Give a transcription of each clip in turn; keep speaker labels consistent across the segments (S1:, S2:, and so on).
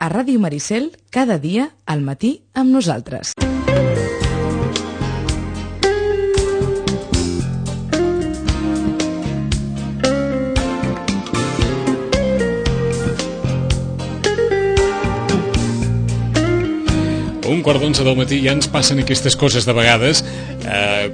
S1: a Ràdio Maricel cada dia al matí amb nosaltres.
S2: Un quart d'11 del matí ja ens passen aquestes coses de vegades.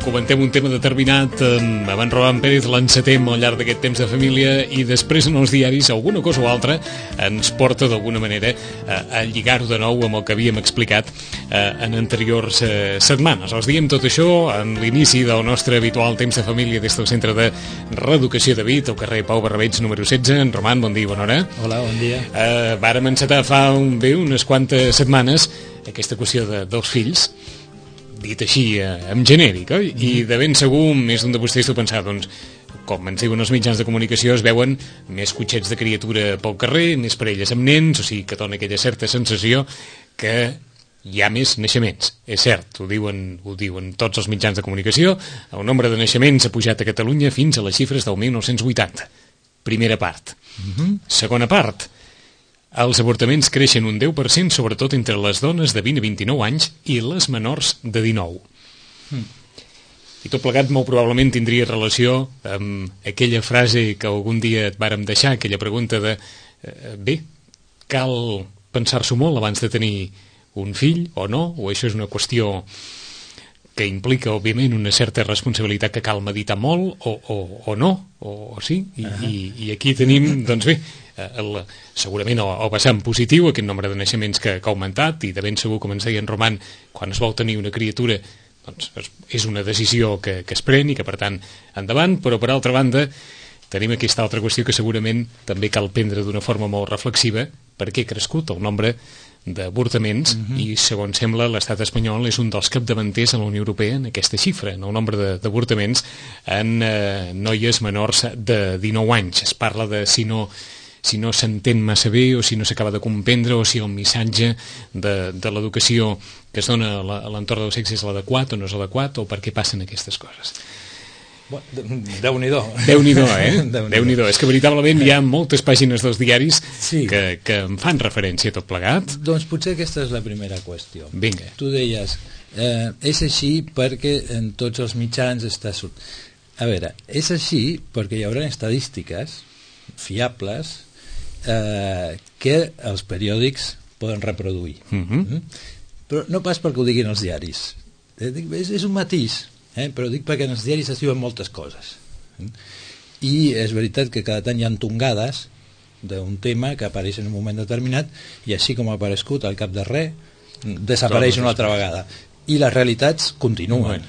S2: Comentem un tema determinat amb en Roman Pérez, l'encetem al llarg d'aquest temps de família i després en els diaris alguna cosa o altra ens porta d'alguna manera a lligar-ho de nou amb el que havíem explicat en anteriors setmanes. Els diem tot això en l'inici del nostre habitual temps de família des del Centre de Reeducació de Vic, al carrer Pau Barrabeig número 16. En Roman, bon dia i bona hora.
S3: Hola, bon dia.
S2: Vàrem encetar fa unes quantes setmanes aquesta qüestió dels fills, dit així en genèric, oi? I de ben segur més d'un de vostès deu pensar, doncs, com ens diuen els mitjans de comunicació, es veuen més cotxets de criatura pel carrer, més parelles amb nens, o sigui que dona aquella certa sensació que hi ha més naixements. És cert, ho diuen tots els mitjans de comunicació, el nombre de naixements ha pujat a Catalunya fins a les xifres del 1980. Primera part. Segona part. Els avortaments creixen un 10%, sobretot entre les dones de 20 a 29 anys i les menors de 19. I tot plegat molt probablement tindria relació amb aquella frase que algun dia et vàrem deixar, aquella pregunta de bé, cal pensar-s'ho molt abans de tenir un fill o no, o això és una qüestió que implica, òbviament, una certa responsabilitat que cal meditar molt, o no, o sí, i aquí tenim, doncs bé, segurament el vessant positiu, aquest nombre de naixements que ha augmentat, i de ben segur, com ens deia en Roman, quan es vol tenir una criatura, doncs és una decisió que es pren i que, per tant, endavant, però per altra banda, tenim aquesta altra qüestió que segurament també cal prendre d'una forma molt reflexiva, perquè ha crescut el nombre d'avortaments i, segons sembla, l'estat espanyol és un dels capdavanters a la Unió Europea en aquesta xifra, en el nombre d'avortaments en noies menors de 19 anys. Es parla de si no s'entén massa bé o si no s'acaba de comprendre o si el missatge de l'educació que es dona a l'entorn del sexe és l'adequat o no és adequat o per què passen aquestes coses.
S3: Déu-n'hi-do.
S2: Déu-n'hi-do, Déu-n'hi-do. És que veritablement hi ha moltes pàgines dels diaris que en fan referència a tot plegat.
S3: Doncs potser aquesta és la primera qüestió.
S2: Vinga.
S3: Tu deies, és així perquè en tots els mitjans està... A veure, és així perquè hi haurà estadístiques fiables que els periòdics poden reproduir. Però no pas perquè ho diguin els diaris. És un matís. Però dic perquè en els diaris es diuen moltes coses i és veritat que cada tant hi ha tongades d'un tema que apareix en un moment determinat i així com ha aparegut al cap de res desapareix una altra vegada i les realitats continuen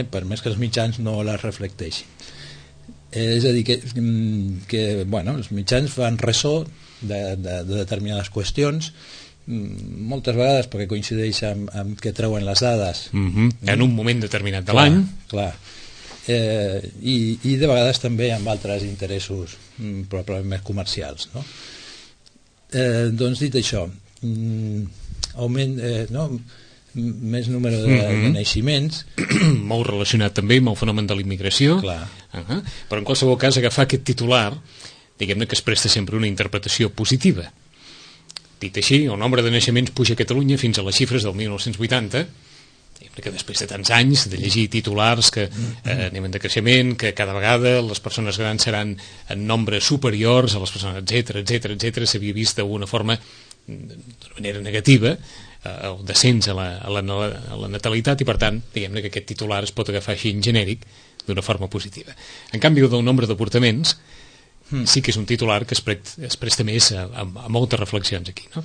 S3: per més que els mitjans no les reflecteixin. És a dir que bueno, els mitjans fan ressò de determinades qüestions moltes vegades perquè coincideix amb que treuen les dades
S2: en un moment determinat de l'any,
S3: clar. I de vegades també amb altres interessos probablement més comercials, no? Doncs dit això, augment, més número de naixements,
S2: molt relacionat també amb el fenomen de la immigració, però en qualsevol cas agafar aquest titular, diguem-ne que es presta sempre una interpretació positiva. Dit així, el nombre de naixements puja a Catalunya fins a les xifres del 1980, que després de tants anys de llegir titulars que anem en decreixement, que cada vegada les persones grans seran en nombres superiors a les persones, etc, s'havia vist d'una forma, d'una manera negativa, el descens a la natalitat i, per tant, diguem-ne que aquest titular es pot agafar així en genèric d'una forma positiva. En canvi, del nombre d'avortaments, sí que és un titular que es presta més a moltes reflexions aquí, no?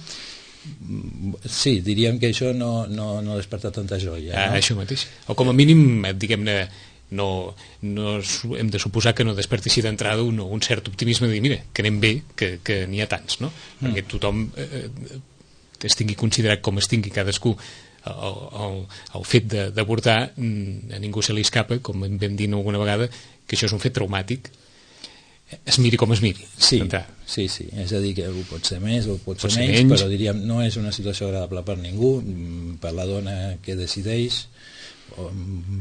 S3: Sí, diríem que això no desperta tanta joia, no?
S2: Això mateix. O com a mínim, diguem-ne, no hem de suposar que no desperti així d'entrada un cert optimisme de dir, mira, que anem bé, que n'hi ha tants, no? Perquè tothom es tingui considerat com es tingui cadascú el fet d'avortar, a ningú se li escapa, com vam dir alguna vegada, que això és un fet traumàtic, es miri com es miri.
S3: Sí, és a dir, que ho pot ser més o pot ser menys, però diríem, no és una situació agradable per ningú, per la dona que decideix o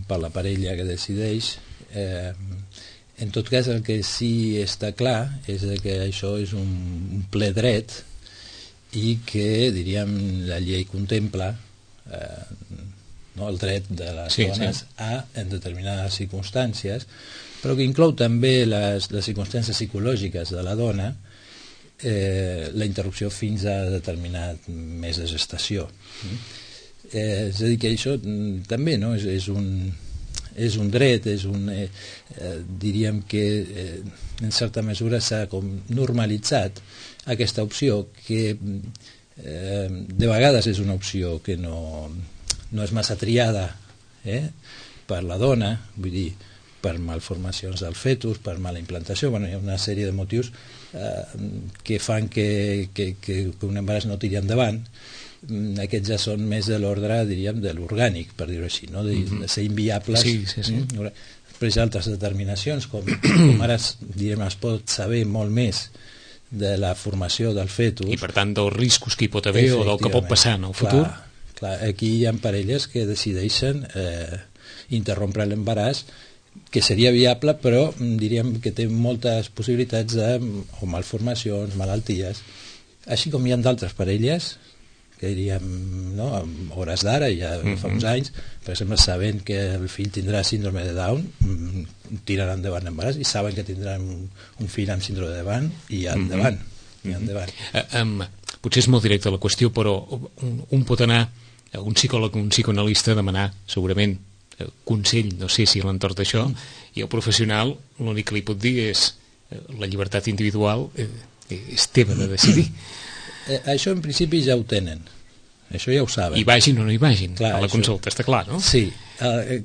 S3: per la parella que decideix. En tot cas, el que sí està clar és que això és un ple dret i que, diríem, la llei contempla el dret de les dones en determinades circumstàncies, però que inclou també les circumstàncies psicològiques de la dona, la interrupció fins a determinat mes de gestació. És a dir, que això també és un dret, diríem que en certa mesura s'ha com normalitzat aquesta opció, que de vegades és una opció que no és massa triada per la dona, vull dir, per malformacions del fetus, per mala implantació. Hi ha una sèrie de motius que fan que un embaràs no tiri endavant. Aquests ja són més de l'ordre, diríem, de l'orgànic, per dir-ho així, de ser inviables. Després hi ha altres determinacions, com ara direm, es pot saber molt més de la formació del fetus.
S2: I per tant dels riscos que hi pot haver o del que pot passar en el futur.
S3: Clar, aquí hi ha parelles que decideixen interrompre l'embaràs, que seria viable, però diríem que té moltes possibilitats de malformacions, malalties, així com hi ha d'altres parelles que diríem, a hores d'ara, ja fa uns anys, per exemple, sabent que el fill tindrà síndrome de Down, tiraran endavant l'embaràs i saben que tindran un fill amb síndrome de Down i endavant.
S2: Potser és molt directa la qüestió, però un pot anar a un psicòleg o un psicoanalista a demanar, segurament, consell, no sé si a l'entorn d'això, i el professional l'únic que li pot dir és la llibertat individual és teva de decidir.
S3: Això en principi ja ho tenen, això ja ho saben.
S2: I vagin o no hi vagin, a la consulta, està clar, no?
S3: Sí,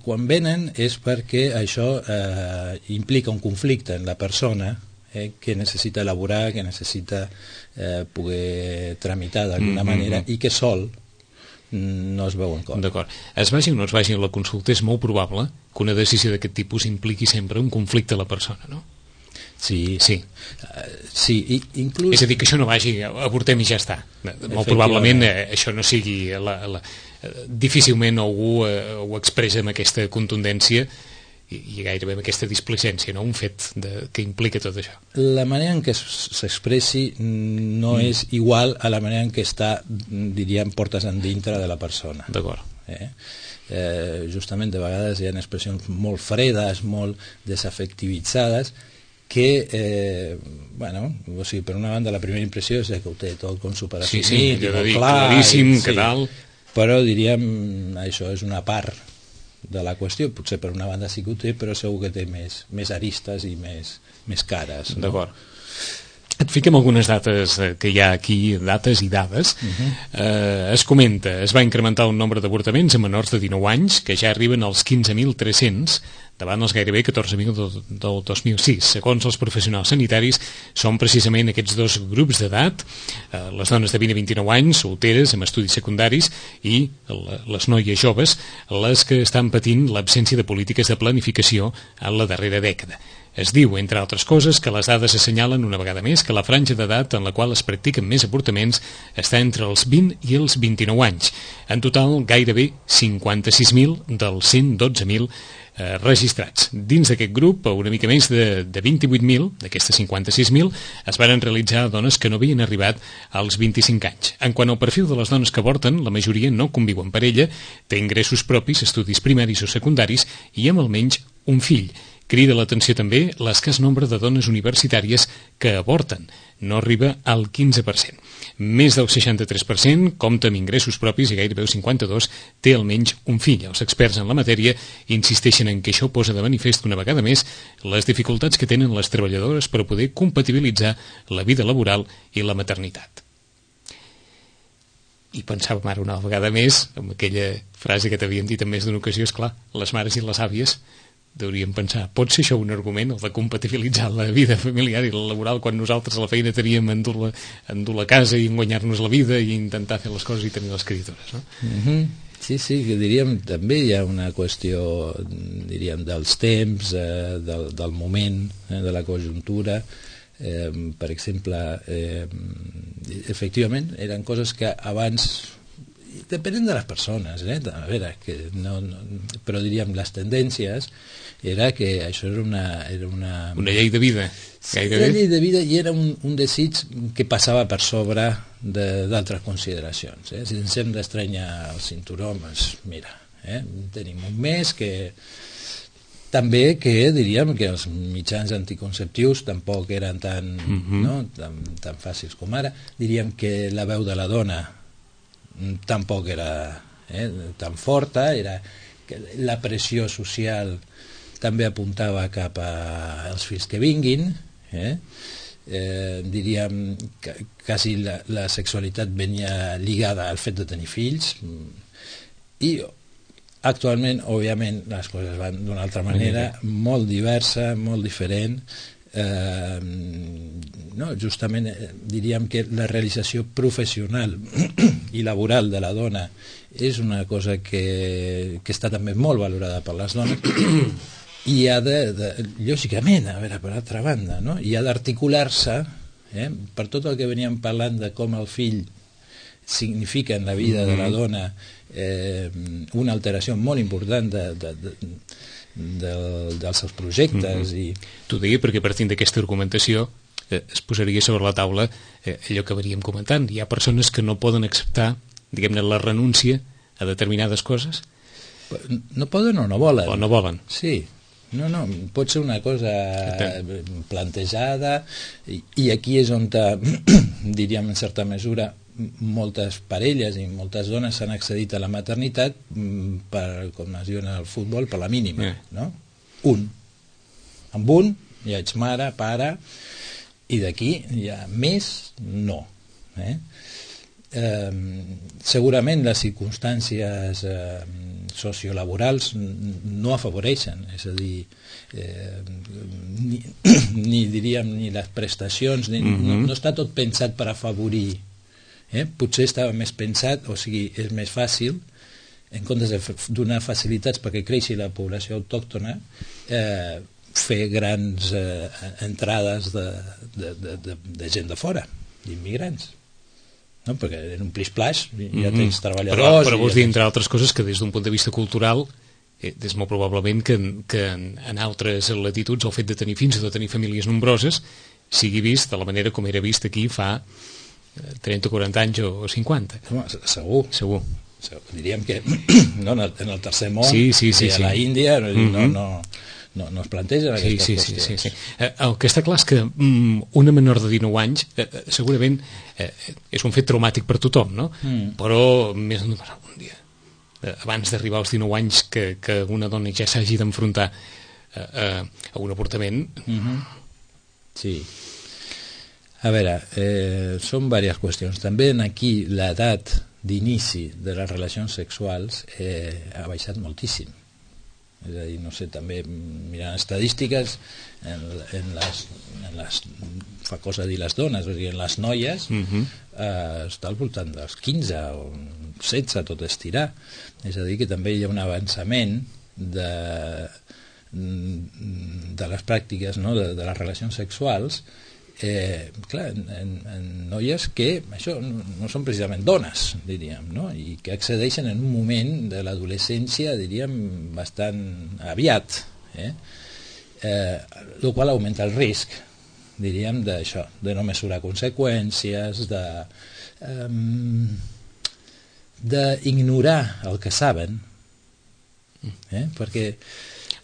S3: quan venen és perquè això implica un conflicte en la persona que necessita elaborar, que necessita poder tramitar d'alguna manera i que sol no es veuen com.
S2: D'acord. Es vagi o no es vagi a la consulta, és molt probable que una decisió d'aquest tipus impliqui sempre un conflicte a la persona, no?
S3: Sí.
S2: Inclús... És a dir, que això no vagi, avortem i ja està. Molt probablement això no sigui... Difícilment algú ho expressa amb aquesta contundència i gairebé amb aquesta displicència, no? Un fet que implica tot això.
S3: La manera en què s'expressi no és igual a la manera en què està, diríem, portes endintre de la persona.
S2: D'acord.
S3: Justament de vegades hi ha expressions molt fredes, molt desafectivitzades, que, o sigui, per una banda la primera impressió és que ho té tot com superassumit,
S2: claríssim, que tal...
S3: Però diríem, això és una part de la qüestió, potser per una banda sí que ho té, però segur que té més aristes i més cares.
S2: D'acord. Et fiquem algunes dates que hi ha aquí, dates i dades. Es comenta, es va incrementar el nombre d'avortaments a menors de 19 anys, que ja arriben als 15.300, davant els gairebé 14.000 del 2006. Segons els professionals sanitaris, són precisament aquests dos grups d'edat, les dones de 20 a 29 anys, solteres, amb estudis secundaris, i les noies joves, les que estan patint l'absència de polítiques de planificació en la darrera dècada. Es diu, entre altres coses, que les dades assenyalen una vegada més que la franja d'edat en la qual es practiquen més avortaments està entre els 20 i els 29 anys. En total, gairebé 56.000 dels 112.000 registrats. Dins d'aquest grup, una mica més de 28.000, d'aquestes 56.000, es varen realitzar dones que no havien arribat als 25 anys. En quant al perfil de les dones que avorten, la majoria no conviu en parella, té ingressos propis, estudis primaris o secundaris i amb almenys un fill. Crida l'atenció també l'escàs nombre de dones universitàries que avorten. No arriba al 15%. Més del 63% compta amb ingressos propis i gairebé el 52% té almenys un fill. Els experts en la matèria insisteixen en que això posa de manifest una vegada més les dificultats que tenen les treballadores per poder compatibilitzar la vida laboral i la maternitat. I pensàvem ara una vegada més amb aquella frase que t'havíem dit en més d'una ocasió, esclar, les mares i les àvies hauríem pensar, pot ser això un argument, el de compatibilitzar la vida familiar i la laboral, quan nosaltres a la feina teníem endur la casa i guanyar-nos la vida i intentar fer les coses i tenir les criatures, no?
S3: Sí, que diríem, també hi ha una qüestió, diríem, dels temps, del moment, de la conjuntura. Per exemple, efectivament, eren coses que abans Depenen de les persones, a veure, que però diríem, les tendències era que això era
S2: una llei de vida,
S3: gairebé. Una llei de vida, i era un desig que passava per sobre d'altres consideracions. Si ens hem d'estrenyar el cinturó, doncs mira, tenim un mes que... També que diríem que els mitjans anticonceptius tampoc eren tan fàcils com ara. Diríem que la veu de la dona tampoc era tan forta, que la pressió social també apuntava cap als fills que vinguin, diríem que quasi la sexualitat venia lligada al fet de tenir fills, i actualment, òbviament, les coses van d'una altra manera, molt diversa, molt diferent. Justament diríem que la realització professional i laboral de la dona és una cosa que està també molt valorada per les dones, i ha lògicament, a veure, per altra banda, i ha d'articular-se per tot el que veníem parlant de com el fill significa en la vida de la dona una alteració molt important dels seus projectes.
S2: T'ho deia perquè partint d'aquesta argumentació es posaria sobre la taula allò que veníem comentant. Hi ha persones que no poden acceptar, diguem-ne, la renúncia a determinades coses.
S3: No poden o no volen.
S2: O no volen.
S3: Sí. No, pot ser una cosa plantejada, i aquí és on diríem en certa mesura moltes parelles i moltes dones s'han accedit a la maternitat per, com es diu en el futbol, per la mínima, no? Amb un ja ets mare, pare, i d'aquí ja més no. Segurament les circumstàncies sociolaborals no afavoreixen, és a dir, ni diríem ni les prestacions, no està tot pensat per afavorir. Potser estava més pensat, o sigui, és més fàcil, en comptes de donar facilitats perquè creixi la població autòctona, fer grans entrades de gent de fora, d'immigrants. Perquè en un plis-plaix ja tens treballadors...
S2: Però vols dir, entre altres coses, que des d'un punt de vista cultural, és molt probablement que en altres latituds el fet de tenir fills o de tenir famílies nombroses sigui vist de la manera com era vist aquí fa 30 o 40 anys o 50.
S3: Segur. Diríem que en el tercer món, a la Índia, no es plantegen aquestes qüestions.
S2: El que està clar és que una menor de 19 anys segurament és un fet traumàtic per tothom, no? Però més un dia, abans d'arribar als 19 anys, que una dona ja s'hagi d'enfrontar a un avortament...
S3: Sí. A veure, són diverses qüestions. També aquí l'edat d'inici de les relacions sexuals ha baixat moltíssim. És a dir, no sé, també mirant estadístiques, fa cosa dir les dones, és a dir, en les noies està al voltant dels 15 o 16, tot estirar. És a dir, que també hi ha un avançament de les pràctiques, de les relacions sexuals, clar, en noies que això no són precisament dones, diríem, i que accedeixen en un moment de l'adolescència, diríem, bastant aviat, el qual augmenta el risc, diríem, d'això, de no mesurar conseqüències, d'ignorar el que saben, perquè...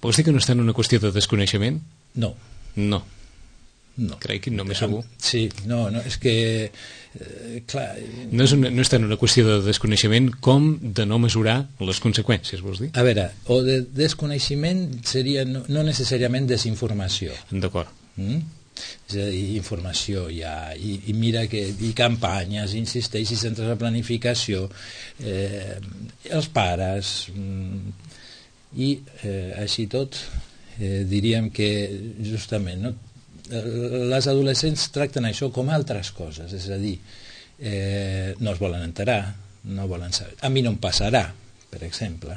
S2: Vols dir que no està en una qüestió de desconeixement?
S3: No.
S2: Crec que no m'he segur.
S3: Sí, és que clar...
S2: No està en una qüestió de desconeixement com de no mesurar les conseqüències, vols dir?
S3: A veure, o de desconeixement seria no necessàriament desinformació.
S2: D'acord.
S3: És a dir, informació hi ha, i mira que hi campanyes, insisteix, i centres de planificació, els pares, i així tot diríem que justament les adolescents tracten això com altres coses, és a dir, no es volen enterar, no volen saber. A mi no em passarà, per exemple,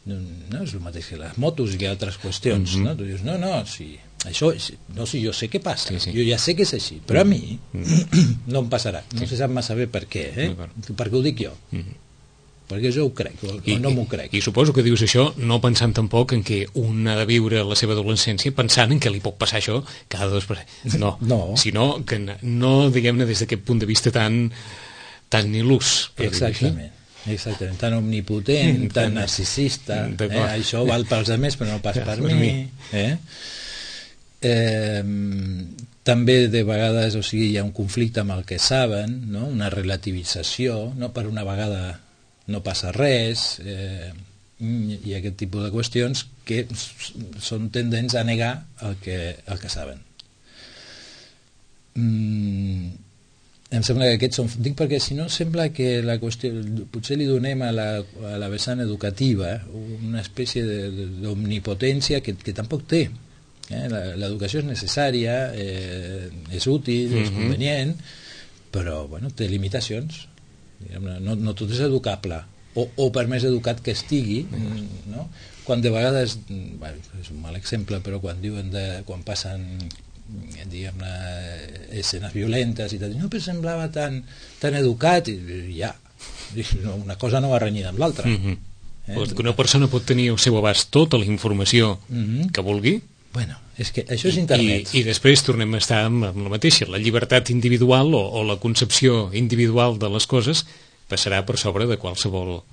S3: no és el mateix que les motos i que altres qüestions, no? Tu dius, si jo sé què passa, jo ja sé que és així, però a mi no em passarà, no se sap massa bé per què, perquè ho dic jo, perquè jo ho crec o no m'ho crec.
S2: I suposo que dius això no pensant tampoc en què un ha de viure la seva adolescència pensant en què li pot passar això cada 2 per... No, sinó que no, diguem-ne, des d'aquest punt de vista tan il·lus.
S3: Exactament, tan omnipotent, tan narcisista, això val pels altres però no pas per mi. També de vegades, hi ha un conflicte amb el que saben, una relativització, per una vegada no passa res, i aquest tipus de qüestions que són tendents a negar el que saben. Em sembla que aquests són... Dic perquè si no sembla que la qüestió... Potser li donem a la vessant educativa una espècie d'omnipotència que tampoc té. L'educació és necessària, és útil, és convenient, però té limitacions. No tot és educable o per més educat que estigui, quan de vegades, és un mal exemple, però quan diuen quan passen escenes violentes i tal, no, però semblava tan educat, i ja, una cosa no va renyida amb l'altra.
S2: Una persona pot tenir al seu abast tota la informació que vulgui.
S3: Bueno, és que això és internet.
S2: I després tornem a estar amb la mateixa. La llibertat individual o la concepció individual de les coses passarà per sobre de qualsevol...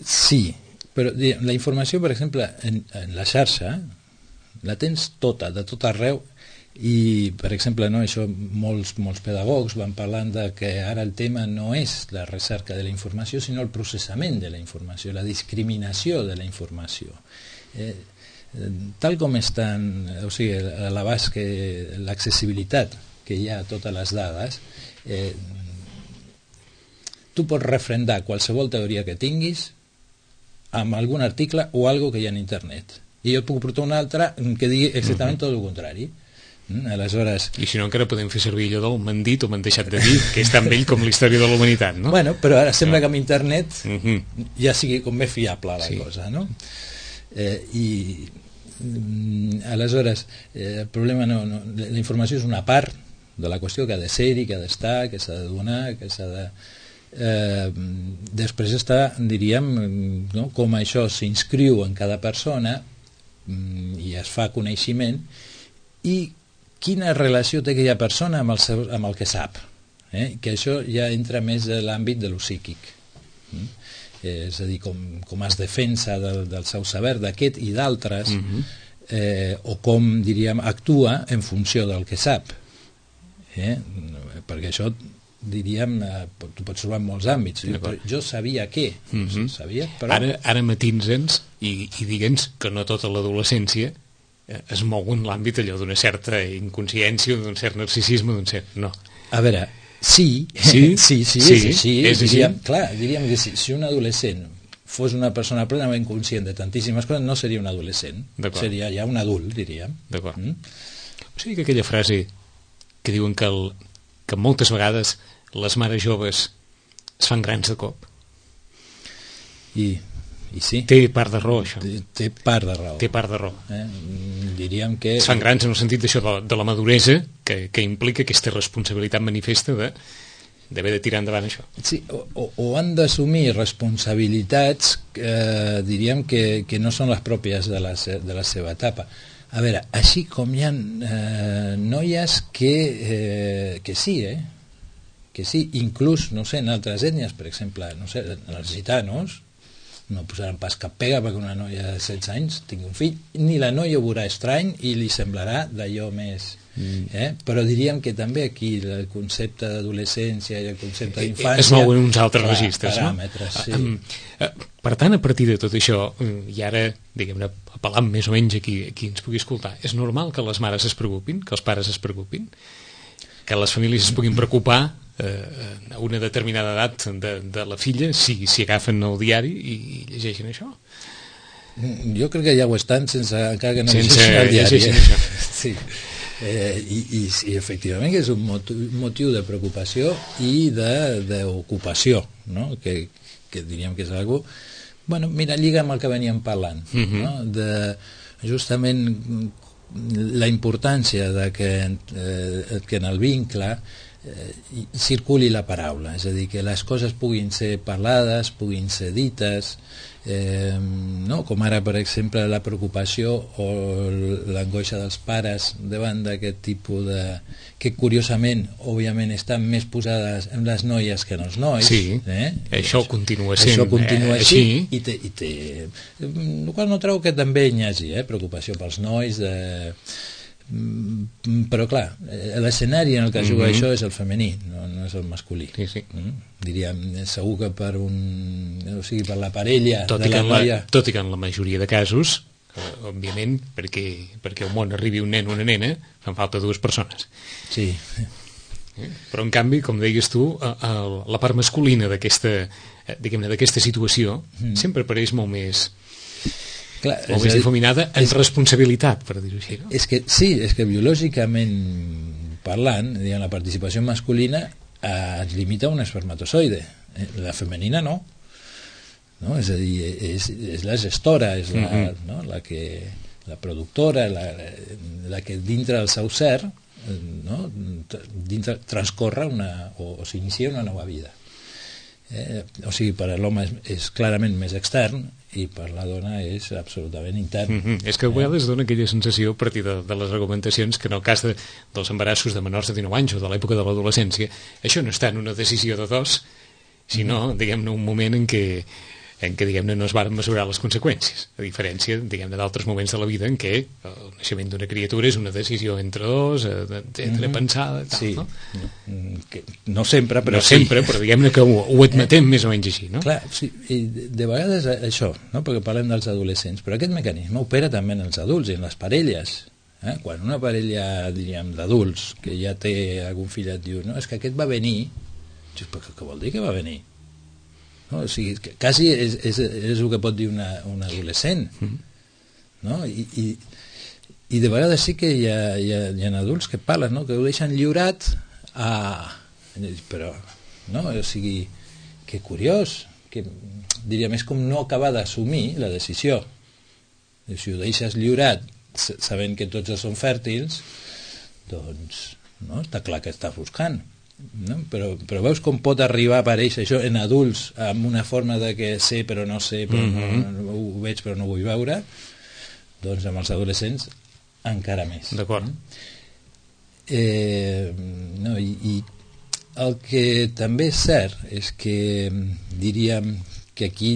S3: Sí, però la informació, per exemple, en la xarxa, la tens tota, de tot arreu, i, per exemple, això molts pedagogs van parlant de que ara el tema no és la recerca de la informació, sinó el processament de la informació, la discriminació de la informació. Tal com estan, a l'abast que l'accessibilitat que hi ha a totes les dades, tu pots refrendar qualsevol teoria que tinguis amb algun article o algo que hi ha en internet, i jo et puc portar un altre que digui exactament tot el contrari. Aleshores...
S2: I si no encara podem fer servir allò del m'han dit o m'han deixat de dir, que és tan vell com la història de la humanitat, no?
S3: Bueno, però ara sembla que amb internet ja sigui com més fiable la cosa, no? Aleshores el problema la informació és una part de la qüestió que ha de ser-hi, que ha d'estar, que s'ha de donar, que s'ha de... després està, diríem, com això s'inscriu en cada persona i es fa coneixement, i quina relació té aquella persona amb el que sap, que això ja entra més a l'àmbit de lo psíquic, és a dir, com es defensa del seu saber d'aquest i d'altres, o com, diríem, actua en funció del que sap, perquè això, diríem, tu pots trobar en molts àmbits. Jo sabia què, sabia, però...
S2: Ara matins-nos i digue'ns que no tota l'adolescència es mou en l'àmbit allò d'una certa inconsciència, d'un cert narcisisme, d'un cert... No.
S3: A veure... Sí, és així. Clar, diríem que si un adolescent fos una persona plenament conscient de tantíssimes coses, no seria un adolescent, seria ja un adult, diríem.
S2: D'acord. O sigui que aquella frase que diuen que moltes vegades les mares joves es fan grans de cop.
S3: I sí.
S2: Té part de raó, això.
S3: Té part de raó.
S2: Té part de raó.
S3: Diríem que...
S2: Es fan grans en el sentit d'això de la maduresa que implica aquesta responsabilitat manifesta d'haver de tirar endavant això.
S3: Sí, o han d'assumir responsabilitats diríem que no són les pròpies de la seva etapa. A veure, així com hi ha noies que sí, que sí, inclús, no sé, en altres ètnies, per exemple, no sé, en els gitanos, no posaran pas cap pega perquè una noia de 16 anys tingui un fill, ni la noia ho veurà estrany i li semblarà d'allò més... Però diríem que també aquí el concepte d'adolescència i el concepte d'infància...
S2: Es mouen uns altres registres,
S3: paràmetres,
S2: no? Sí. Per tant, a partir de tot això, i ara, diguem-ne, apel·lant més o menys a qui ens pugui escoltar, és normal que les mares es preocupin, que els pares es preocupin, que les famílies es puguin preocupar a una determinada edat de la filla si agafen el diari i llegeixen això?
S3: Jo crec que ja ho estan encara que no
S2: llegeixin el diari.
S3: Sí. I efectivament que és un motiu de preocupació i d'ocupació, no? Que diríem que és algo Bueno, mira, lliga amb el que veníem parlant, no? De justament la importància de que en el vincle circuli la paraula, és a dir, que les coses puguin ser parlades, puguin ser dites, no? Com ara, per exemple, la preocupació o l'angoixa dels pares davant d'aquest tipus de... que curiosament, òbviament, estan més posades en les noies que en els nois.
S2: Sí, això continua sent
S3: això continua
S2: així.
S3: I té el qual no trobo que també hi hagi preocupació pels nois, però clar, l'escenari en el que juga això és el femení, no és el masculí.
S2: Sí.
S3: Diríem, segur que per per la parella
S2: tot
S3: de la noia...
S2: Tot i que en la majoria de casos, òbviament, perquè al món arribi un nen o una nena, fan falta dues persones.
S3: Sí.
S2: Però en canvi, com deies tu, la part masculina d'aquesta situació sempre apareix molt més...
S3: Clar,
S2: molt més difuminada en responsabilitat, per dir-ho així, no?
S3: És que biològicament parlant, la participació masculina es limita a un espermatozoide, la femenina no, és a dir, és la gestora, és la productora, la que dintre del seu ser dintre transcorre o s'inicia una nova vida. O sigui, per a l'home és clarament més extern i per la dona és absolutament intern.
S2: És que a vegades dona aquella sensació a partir de les argumentacions que en el cas dels embarassos de menors de 19 anys o de l'època de l'adolescència, això no està en una decisió de dos, sinó, diguem-ne, un moment en què diguem-ne, no es varen mesurar les conseqüències, a diferència, diguem-ne, d'altres moments de la vida en què el naixement d'una criatura és una decisió entre dos, pensada, tal,
S3: sí.
S2: No?
S3: No sempre, però
S2: no sempre, però diguem-ne que ho admetem més o menys així, no?
S3: Clar, sí, i de vegades això, no? Perquè parlem dels adolescents, però aquest mecanisme opera també en els adults i en les parelles. Quan una parella, diríem, d'adults que ja té algun fill et diu, no, és que aquest va venir, però què vol dir que va venir? No? O sigui, quasi és el que pot dir un adolescent, no? I de vegades sí que hi ha adults que parlen, no? Que ho deixen lliurat però no? O sigui, que curiós, que diríem, és com no acabar d'assumir la decisió. I si ho deixes lliurat sabent que tots són fèrtils, doncs no? Està clar que estàs buscant. No? Però veus com pot arribar a aparèixer això en adults amb una forma de que sé però no sé, però no ho veig però no ho vull veure, doncs amb els adolescents encara més.
S2: D'acord.
S3: No, i el que també és cert és que diríem que aquí,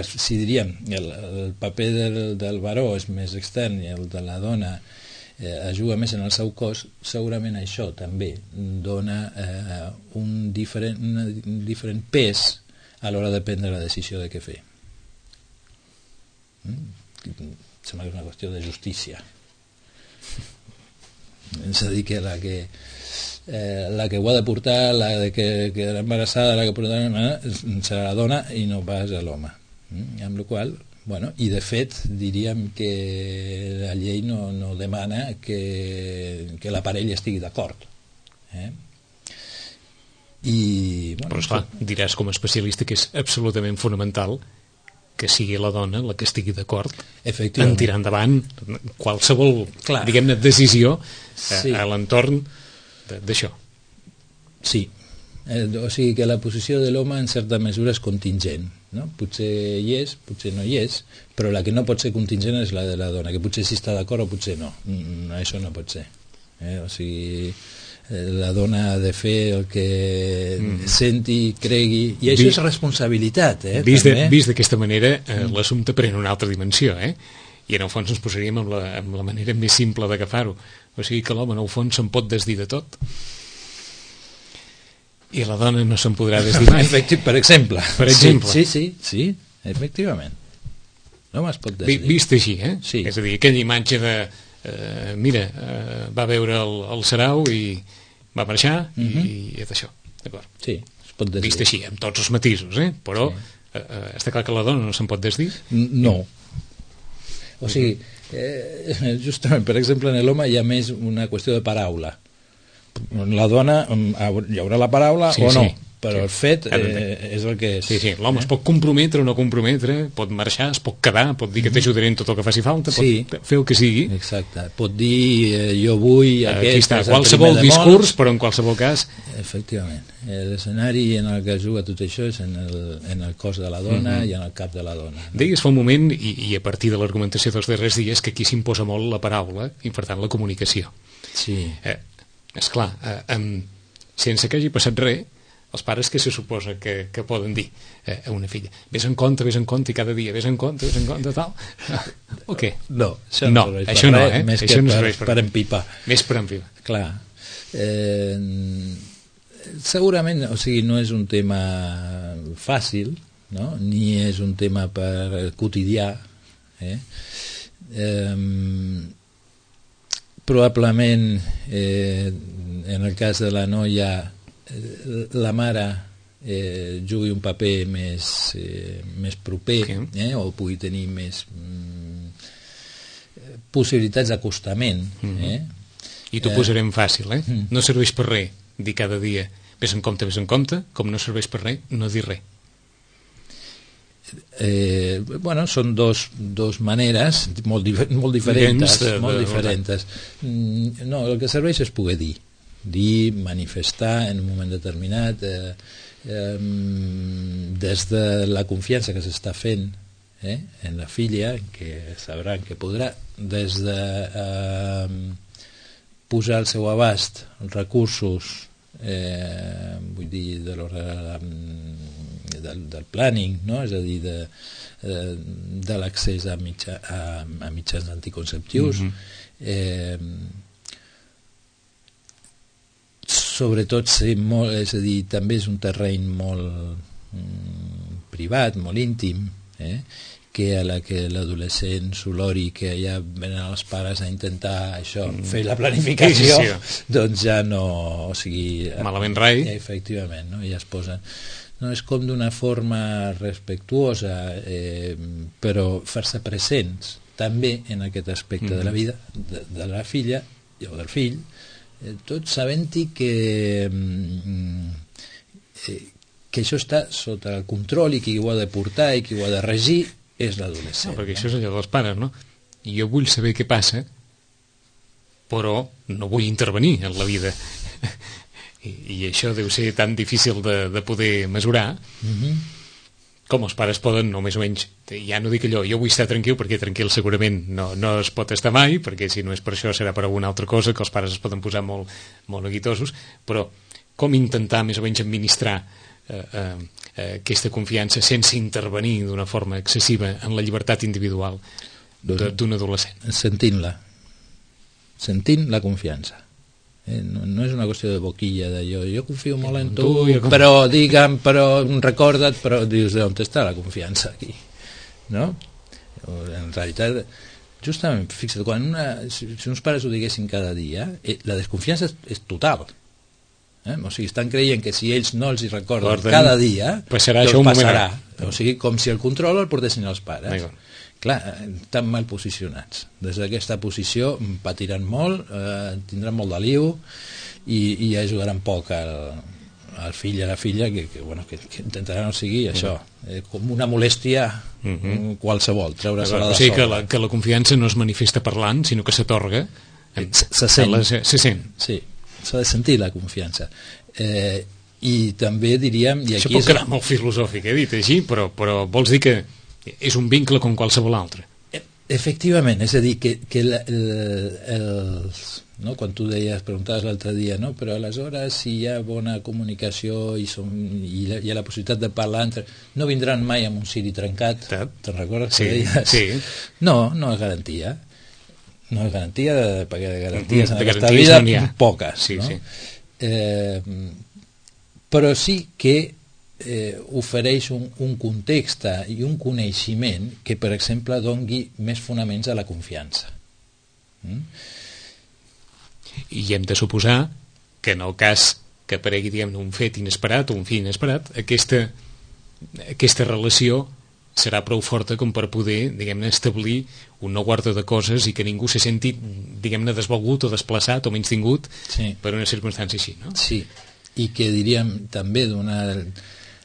S3: si diríem el paper del baró és més extern i el de la dona es juga més en el seu cos, segurament això també dona un diferent pes a l'hora de prendre la decisió de què fer. Sembla que és una qüestió de justícia. És a dir, que la que ho ha de portar, la que quedarà embarassada, la que portarà serà la dona i no pas l'home. Amb la qual cosa, bueno, i de fet diríem que la llei no demana que la parella estigui d'acord, bueno,
S2: però esclar, diràs com a especialista que és absolutament fonamental que sigui la dona la que estigui d'acord en tirar endavant qualsevol, diguem-ne, decisió a l'entorn d'això.
S3: Sí, o sigui que la posició de l'home en certa mesura és contingent, no? Potser hi és, potser no hi és, però la que no pot ser contingent és la de la dona, que potser sí està d'acord o potser no. Això no pot ser. O sigui, la dona ha de fer el que senti, cregui, i això és responsabilitat.
S2: Vist d'aquesta manera, l'assumpte pren una altra dimensió, i en el fons ens posaríem amb la manera més simple d'agafar-ho. O sigui que l'home en el fons se'n pot desdir de tot i la dona no se'n podrà desdir mai.
S3: Per exemple. Sí, efectivament. L'home es pot desdir.
S2: Vist així,
S3: Sí.
S2: És a dir, aquella imatge de va veure el sarau i va marxar i és això, d'acord?
S3: Sí, es pot desdir.
S2: Vist així, amb tots els matisos, però està clar que la dona no se'n pot desdir?
S3: No. O sigui, justament, per exemple, en l'home hi ha més una qüestió de paraula. La dona hi haurà la paraula o no, però el fet és el que és.
S2: Sí, l'home es pot comprometre o no comprometre, pot marxar, es pot quedar, pot dir que t'ajudaré en tot el que faci falta, pot fer el que sigui.
S3: Exacte, pot dir jo vull
S2: aquí està, qualsevol discurs, però en qualsevol cas...
S3: Efectivament, l'escenari en el que es juga tot això és en el cos de la dona i en el cap de la dona.
S2: Deies fa un moment, i a partir de l'argumentació dels darrers dies, que aquí s'imposa molt la paraula i per tant la comunicació.
S3: Sí.
S2: Esclar, sense que hagi passat res, els pares que se suposa que poden dir a una filla, vés en compte i cada dia vés en compte, tal. O què?
S3: No, això no serveix més que per empipar.
S2: Més per empipar.
S3: Clar. Segurament, o sigui, no és un tema fàcil, no? Ni és un tema per quotidià. Probablement, en el cas de la noia, la mare jugui un paper més proper, o pugui tenir més possibilitats d'acostament.
S2: I t'ho posarem fàcil, no serveix per res dir cada dia vés en compte, com no serveix per res no dir res.
S3: Bueno, són dos maneres molt diferents. No, el que serveix és poder dir, manifestar en un moment determinat, des de la confiança que s'està fent en la filla, que sabran que podrà, des de posar al seu abast recursos, vull dir, del planning, no? És a dir, de l'accés a mitjans anticonceptius, sobretot és a dir, també és un terreny molt privat, molt íntim, que a la que l'adolescent s'olori que ja venen els pares a intentar això, fer la planificació, doncs ja no, o sigui,
S2: malament rai.
S3: Efectivament, no? Ja es posen, no, és com d'una forma respectuosa, però fer-se presents també en aquest aspecte de la vida de la filla o del fill, tot sabent-hi que això està sota el control i qui ho ha de portar i qui ho ha de regir és l'adolescent.
S2: Perquè això és allò dels pares, no? I jo vull saber què passa, però no vull intervenir en la vida. I això deu ser tan difícil de poder mesurar, com els pares poden, no més o menys, ja no dic allò, jo vull estar tranquil, perquè tranquil segurament no es pot estar mai, perquè si no és per això serà per alguna altra cosa, que els pares es poden posar molt neguitosos, però com intentar més o menys administrar aquesta confiança sense intervenir d'una forma excessiva en la llibertat individual d'un adolescent. Sentint
S3: la confiança. No és una qüestió de boquilla, jo confio molt en tu, però recorda't, però dius, on està la confiança aquí? No? En realitat, justament, fixa't, si uns pares ho diguessin cada dia, la desconfiança és total. O sigui, estan creient que si ells no els hi recorden cada dia,
S2: passarà.
S3: O sigui, com si el control el portessin els pares. Clar, estan mal posicionats. Des d'aquesta posició patiran molt, tindran molt de liu i ajudaran poc al fill i a la filla que intentaran, o sigui, això, com una molèstia qualsevol, treure-se-la de sobre.
S2: O sigui que la confiança no es manifesta parlant, sinó que s'atorga.
S3: Se sent. Sí. S'ha de sentir la confiança, i també diríem, i
S2: això
S3: aquí
S2: pot quedar molt filosòfic, dit així, però vols dir que és un vincle com qualsevol altre.
S3: Efectivament, és a dir, que no? Quan tu preguntaves l'altre dia, no? Però aleshores si hi ha bona comunicació i hi ha la possibilitat de parlar no vindran mai amb un ciri trencat, te'n recordes que deies?
S2: Sí.
S3: No és garantia. No és garantia, perquè de garanties en aquesta vida poques, no? Però sí que ofereix un context i un coneixement que, per exemple, doni més fonaments a la confiança.
S2: I hem de suposar que en el cas que aparegui, diguem-ne, un fet inesperat o un fi inesperat, aquesta relació serà prou forta com per poder, diguem-ne, establir un nou ordre de coses i que ningú se senti, diguem-ne, desvalgut o desplaçat o menystingut per una circumstància així, no?
S3: Sí, i que diríem també donar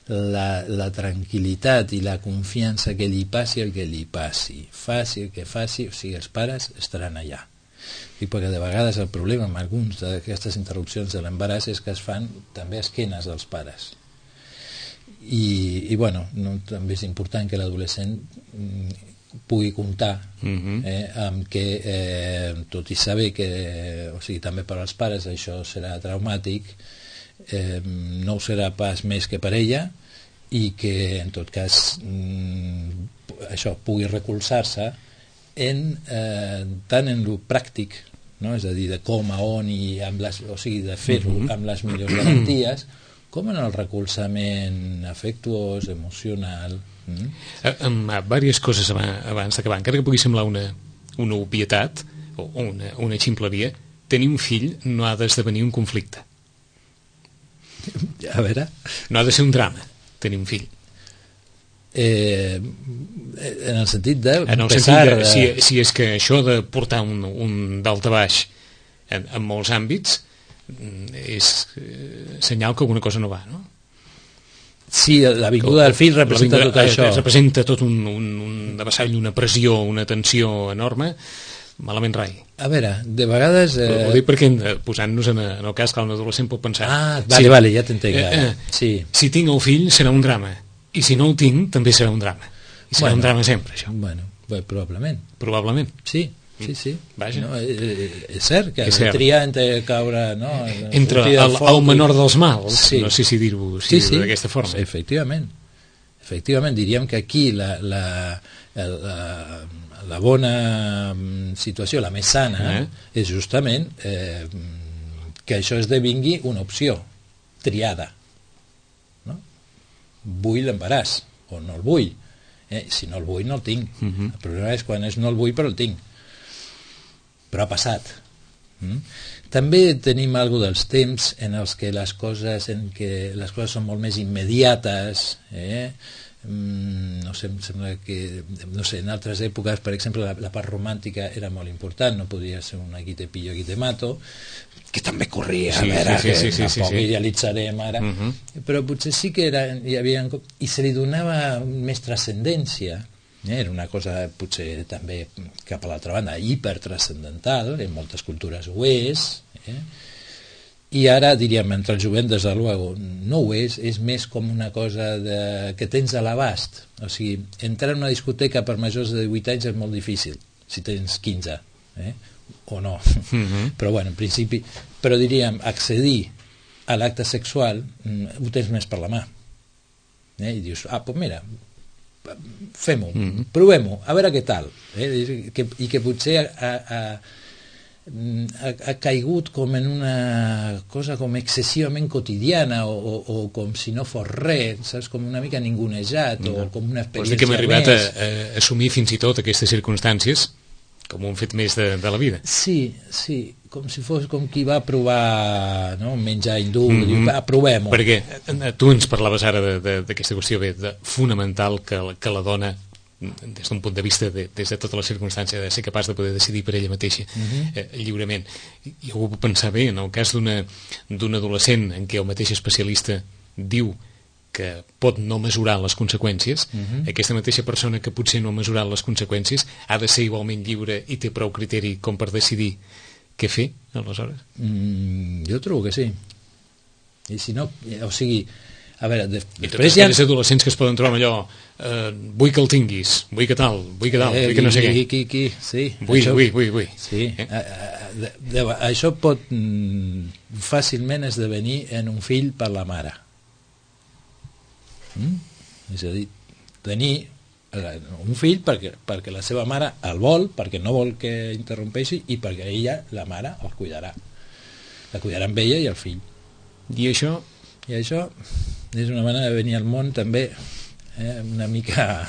S3: la tranquil·litat i la confiança que li passi el que li passi, faci el que faci, o sigui, els pares estaran allà. I perquè de vegades el problema amb algunes d'aquestes interrupcions de l'embaràs és que es fan també a esquenes dels pares. I bueno, també és important que l'adolescent pugui comptar amb que, tot i saber que, o sigui, també per als pares això serà traumàtic, no ho serà pas més que per ella, i que en tot cas això pugui recolzar-se tant en lo pràctic, no? És a dir, de com, a on, i o sigui, de fer-ho amb les millors garanties, com en el recolzament afectuós, emocional.
S2: Amb diverses coses abans d'acabar, encara que pugui semblar una obvietat o una ximpleria, tenir un fill no ha d'esdevenir un conflicte.
S3: A veure...
S2: No ha de ser un drama tenir un fill.
S3: En el sentit de...
S2: En el sentit de, si és que això de portar un dalt a baix en molts àmbits és senyal que alguna cosa no va, no?
S3: Sí, la vinguda del fill representa tot això.
S2: Representa tot un avasall, una pressió, una tensió enorme. Malament rai.
S3: A veure, de vegades...
S2: Ho dic perquè posant-nos en el cas que un adolescent pot pensar...
S3: Vale, ja t'entenc. Sí.
S2: Si tinc el fill serà un drama, i si no el tinc també serà un drama. I serà un drama sempre, això.
S3: Bueno, probablement.
S2: Probablement.
S3: Sí.
S2: Vaja.
S3: No, és cert que has de triar entre caure... No,
S2: entre el menor dels mals, sí. No sé si dir-ho d'aquesta forma.
S3: Efectivament, diríem que aquí la bona situació, la més sana, és justament que això esdevingui una opció triada, no? Vull l'embaràs o no el vull, si no el vull no el tinc. El problema és quan no el vull però el tinc, però ha passat. També tenim alguna dels temps en els que les coses són molt més immediates, no sé, em sembla que en altres èpoques, per exemple, la part romàntica era molt important, no podia ser un aquí te pillo, aquí te mato, que també corria, tampoc idealitzarem ara, però potser sí que hi havia, i se li donava més transcendència, era una cosa potser també cap a l'altra banda hipertranscendental, en moltes cultures ho és, i ara diríem entre el jovent des de luego no ho és més com una cosa que tens a l'abast. O sigui, entrar en una discoteca per majors de 18 anys és molt difícil si tens 15 o no, però bueno, en principi, però diríem accedir a l'acte sexual ho tens més per la mà, i dius, doncs mira, fem-ho, provem-ho, a veure què tal, i que potser ha caigut com en una cosa com excessivament quotidiana o com si no fos res, saps? Com una mica ningunejat o com una experiència més. Vols dir
S2: que hem arribat a assumir fins i tot aquestes circumstàncies com un fet més de la vida.
S3: Sí, com si fos com qui va provar menjar hindú, diu, provem-ho.
S2: Perquè tu ens parlaves ara d'aquesta qüestió fonamental que la dona, des d'un punt de vista des de tota la circumstància de ser capaç de poder decidir per ella mateixa lliurement. I ho puc pensar bé en el cas d'un adolescent en què el mateix especialista diu que pot no mesurar les conseqüències, aquesta mateixa persona que potser no ha mesurat les conseqüències ha de ser igualment lliure i té prou criteri com per decidir què fer, aleshores?
S3: Jo trobo que sí. I si no, o sigui, a veure,
S2: i tots aquells adolescents que es poden trobar allò, vull que el tinguis, vull que tal, vull que no sé què.
S3: Sí,
S2: vull.
S3: Sí, això pot fàcilment esdevenir en un fill per la mare. És a dir, tenir un fill perquè la seva mare el vol, perquè no vol que interrompeixi i perquè ella, la mare, el cuidarà. La cuidarà amb ella i el fill.
S2: I això
S3: és una manera de venir al món també una mica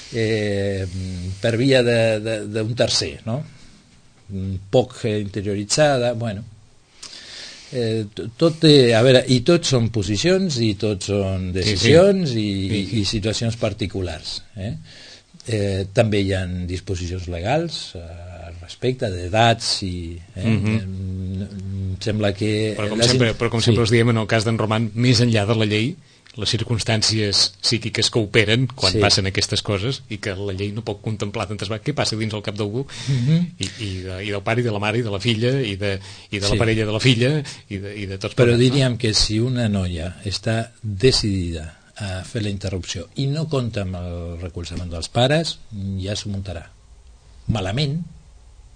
S3: per via d'un tercer, no? Poc interioritzada, bueno. Tot té, a veure, i tots són posicions i tots són decisions i situacions particulars. També hi ha disposicions legals al respecte d'edats i sembla que...
S2: Però com sempre us diem, en el cas d'en Roman, més enllà de la llei, les circumstàncies psíquiques que operen quan passen aquestes coses, i que la llei no pot contemplar tantes vegades què passa dins el cap d'algú, i del pare i de la mare i de la filla i de la parella de la filla i de tots.
S3: Però diríem que si una noia està decidida a fer la interrupció i no compta amb el recolzament dels pares, ja s'ho muntarà malament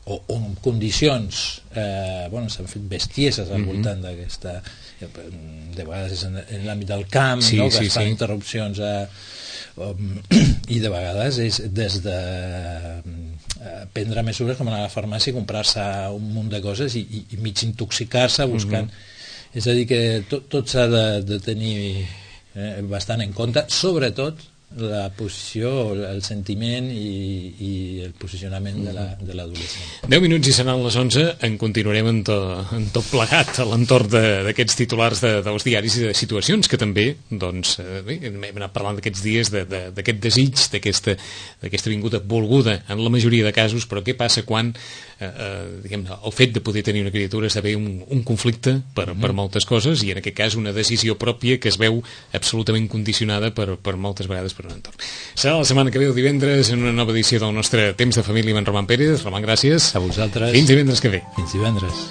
S3: o en condicions s'han fet bestieses al voltant d'aquesta, de vegades és en l'àmbit del camp, que es fan interrupcions i de vegades és des de prendre mesures com anar a la farmàcia i comprar-se un munt de coses i mig intoxicar-se buscant. És a dir que tot s'ha de tenir bastant en compte, sobretot la posició, el sentiment i el posicionament de l'adolescent.
S2: 10 minuts i seran les 11. En continuarem en tot plegat a l'entorn d'aquests titulars dels diaris i de situacions que també hem anat parlant d'aquests dies, d'aquest desig, d'aquesta vinguda volguda en la majoria de casos, però què passa quan el fet de poder tenir una criatura esdevé un conflicte per moltes coses, i en aquest cas una decisió pròpia que es veu absolutament condicionada per moltes vegades per un entorn. Serà la setmana que ve, el divendres, en una nova edició del nostre Temps de Família amb en Roman Pérez. Roman, gràcies.
S3: A vosaltres.
S2: Fins divendres que ve.
S3: Fins divendres.